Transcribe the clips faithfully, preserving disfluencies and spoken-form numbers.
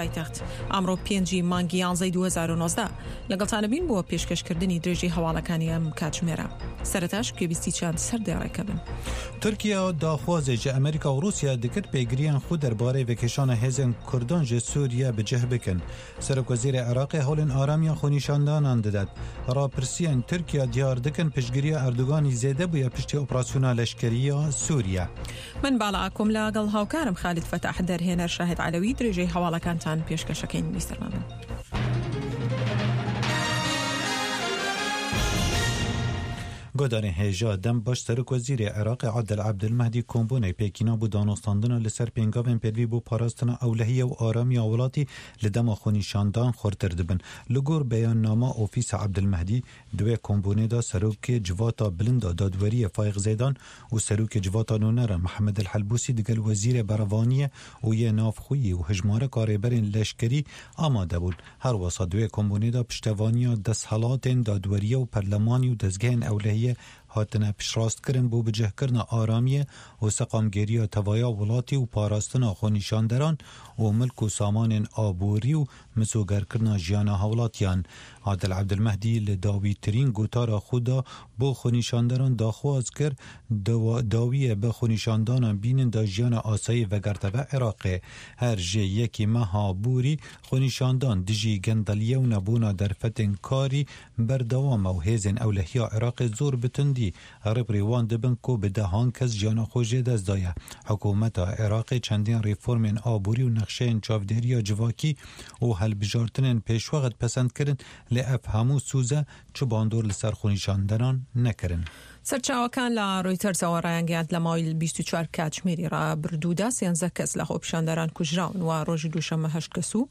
پایتەخت ئەمڕۆ پێنجی مانگی یانزەی دوو هەزار و نۆزدە لەگەڵتانە بین بۆ پێشکەشکردنی درێژەی هەواڵەکانی ئەم کاتژمێرە. سەرەتاش گوێبیستی چەند سەردێڕێکە بن. تورکیا داخوازێ ji Amerîka û Rûsya dikir pêgiriyên xwe derbarê vekêşana hêzên Kurdan ji Sûriye bi cih bikin. Serokwezîrê Iraqê hewlên aramiya xwenîşandanan didet. Rapirsiyên Tirkiya diyar dikin piştgiriya Erdoganî zêde bûye piştî operasyona leşkeriya Sûriye. من باڵا ئاکۆم لەگەڵ هاوکارم خالید فەتاح دەرهێنەر شاهد عەلەوی درێژەی هەواڵەکانتان پێشکەشەکەین. بیسەرمان بن. گۆدارên hêja dem baş Serokwezîrê Iraqê Adil Ebdulmehdî kombûnê pêkîna bû danostandina li ser pêngavên pêdivî bû parastina ewlehiye û aramiya welatî li dema xwenîşandan xurtir dibin. Li gor beyannama Ofîsa Ebdulmehdî di wê kombûnê de Serokê Civata Bilind a Dadweriyê Fayiq Zeydan û Serokê Civata Nûnera Mihemed El Helbûsî digel Wezîrê Berevaniyê û yê navxweyî û hejmareka rêberên leşkerî amade bûn. Her wisa di wê kombûnê de piştevaniya desthilatên dadweriye û perlemanî û dezgehên ewlehiyê hatine piştrastkirin bû bicihkirina aramiyê û seqamgêriya tevaya welatî û parastina xwenîşanderan û milk û samanên aborî û misogerkirina jiyana hewlatiyan. Adil Ebdulmehdî li dawîtirîn gotara xwe da bo xwenîşanderan daxwaz kir dawiyê bi xwenîşandanan bînin da jiyana asayî vegerteve Iraqê. Her ji yekî meha borî xwenîşandan dijî gendeliye û nebûna derfetên karî berdewam e û hêzên ewlehiya Iraqê zor bi tundî rêberê wan dibin ku bi dehan kes jiyana xwe jê dest daye. Hikûmeta Iraqê çendîn reformên aborî û nexşeyên çavdêriya civakî û hilbijartinên pêşwext pesend kirin lê ev hemû sûze çi bandor li ser xwenîşanderan nekirin. سەرچاوەکان لە ڕۆیتەرزەوە ڕایانگەیاند لە ماوەی بیست و چوار کاتژمێری ڕابردوودا سێنزە کەس لە خۆپیشاندەران کوژراون و ڕۆژی دووشەممە هەشت کەس و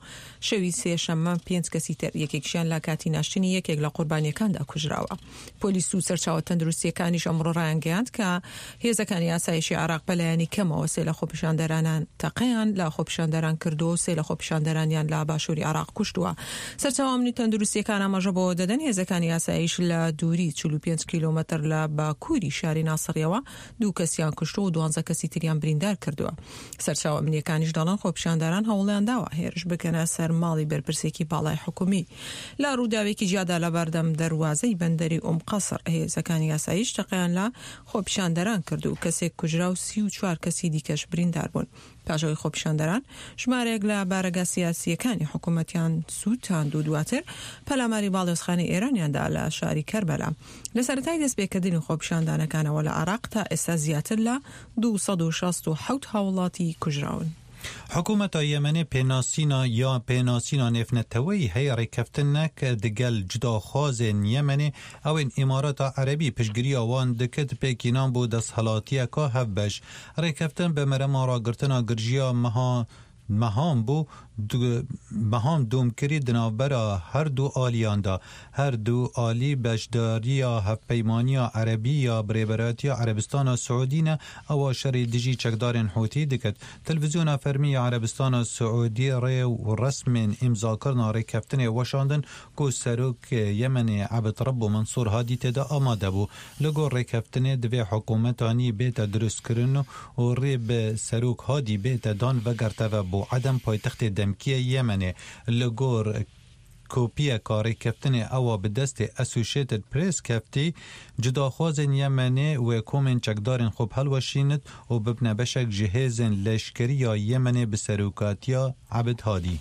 شەوی سێشەممە پێنج کەسی تر یەکێکیان لە کاتی ناشتنی یەکێک لە قوربانیەکاندا کوژراوە. پۆلیس و سەرچاوە تەندروستیەکانیش ئەمڕۆ ڕایانگەیاند کە هێزەکانی ئاسایشی عێراق بەلایەنی کەمەوە سێ لە خۆپیشاندەرانان تەقەیان لە خۆپیشاندەران کردووە و سێ لە خۆپیشاندەرانیان لە باشووری عێراق کوشتووە. سەرچاوە ئەمنی تەندروستیەکان ئاماژە بۆ دەدەن هێزەکانی ئاسایش لە دووری چل و پێنج کیلۆمەتر لە باکووری شاری ناسڕیەوە دوو کەسیان کوشتووە و دوانزە کەسی تریان بریندار کردووە. سەرچاوە ئەمنیەکانیش دەڵێن خۆپیشاندەران هەوڵیان داوە هێرش بکەنە سەر ماڵی بەرپرسێکی باڵای حکومی. لە ڕووداوێکی جیادا لە بەردەم دەروازەی بەندەری ئوم قەسر هێزەکانی ئاسایش تەقەیان لە خۆپیشاندەران کرد و کەسێک کوژرا و سی و چوار کەسی دیکەش بریندار بوون. پاشەوەی خۆپیشاندەران ژمارەیەک لە بارەگا سیاسیەکانی حکوومەتیان سووتاند و دواتر پەلاماری باڵیۆزخانەی ئێرانیاندا لە شاری کەربەلا. لە سەرەتای دەستپێکردنی خۆپیشاندانەکانەوە لە عێراق تا ئێستا زیاتر لە دوو سەد و شەست و حەوت هاوڵاتی کوژراون. حکوومەتا Yemenê pênasîna ya pênasîna nêvneteweyî heye rêkeftinek digel cudaxwazên Yemenê ewên Îmarata Erebî piştgiriya wan dikit pêkînan bû desthilatiyeka hevbeş. Rêkeftin bi merema ragirtina girjiya meha mehan bû mehan domkirî di navbera her du aliyan de. Her du alî beşdariya hevpeymaniya Erebî ya birêberatiya Erebistana Siûdî ne ewa şerê dijî çekdarên Hûtî diket. Televizyona fermî ya Erebistana Siûdî rê û resmên îmzakirina rêkeftinê weşandin ku Serokê Yemenê Ebd Rebbo Mensûr Hadî tê de amade bû. Li gor rêkeftinê divê hikûmeta nî bête dirustkirin û rê bi Serok Hadî bête dan vegerteve bo Edem paytextê demkiye Yemenê. Li gor kopiyeka rêkeftinê ewa bi destê Associated Press keftî cudaxwazên Yemenê wê komên çekdarên xwe hilweşînit û bibne beşek ji hêzên leşkeriya Yemenê bi serokatiya Ebd Hadî.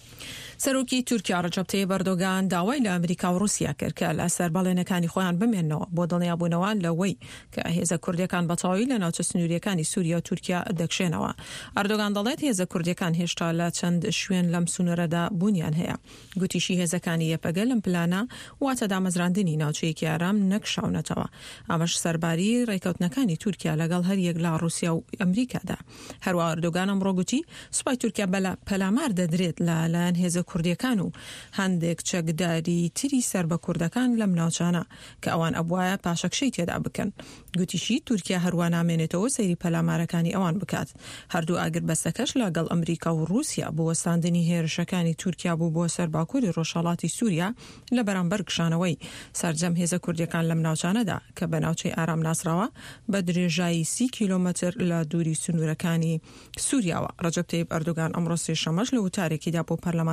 سەرۆکی تورکیا ڕەجەب تەیب ئەردۆگان داوای لە ئەمریکا و ڕووسیا کرد کە لەسەر بەڵێنەکانی خۆیان بمێننەوە بۆ دڵنیابوونەوە لەوەی کە هێزە کوردیەکان بەتەواوی لە ناوچە سنووریەکانی سووریا و تورکیا دەکشێنەوە. ئەردۆگان دەڵێت هێزە کوردیەکان هێشتا لە چەند شوێن لەم سنوورەدا بوونیان هەیە. گوتیشی هێزەکانی یەپەگە لەم پلانە واتە دامەزراندنی ناوچەیەکی ئارام نەکشاونەتەوە. ئەمەش سەرباری ڕێکەوتنەکانی تورکیا لەگەڵ هەریەک لە ڕووسیا و ئەمریکادا. هەروەها ئەردۆگان ئەمڕۆ گوتی سوپای تورکیا پەلامار دەدرێت لە لایەن هێزە کوردییەکان و هەندێک چەکداری تری سەر بە کوردەکان لەم ناوچانە کە ئەوان ئەبوایە پاشەکشەی تێدا بکەن. گوتیشی تورکیا هەروا نامێنێتەوە سەیری پەلامارەکانی ئەوان بکات. هەردوو ئاگربەستەکەش لەگەڵ ئەمریکا و ڕووسیا بۆ وەستاندنی هێرشەکانی تورکیا بوو بۆ سەر باکووری ڕۆژهەڵاتی سووریا لە بەرامبەر کشانەوەی سەرجەم هێزە کوردییەکان لەم ناوچانەدا کە بە ناوچەی ئارام ناسراوە بە درێژایی سی کیلۆمەتر لە دووری سنوورەکانی سووریاوە. ڕەجەب تەیب ئەردۆگان ئەمڕۆ سێشەممەش لە وتارێکیدا بۆ پەرلەمانتاران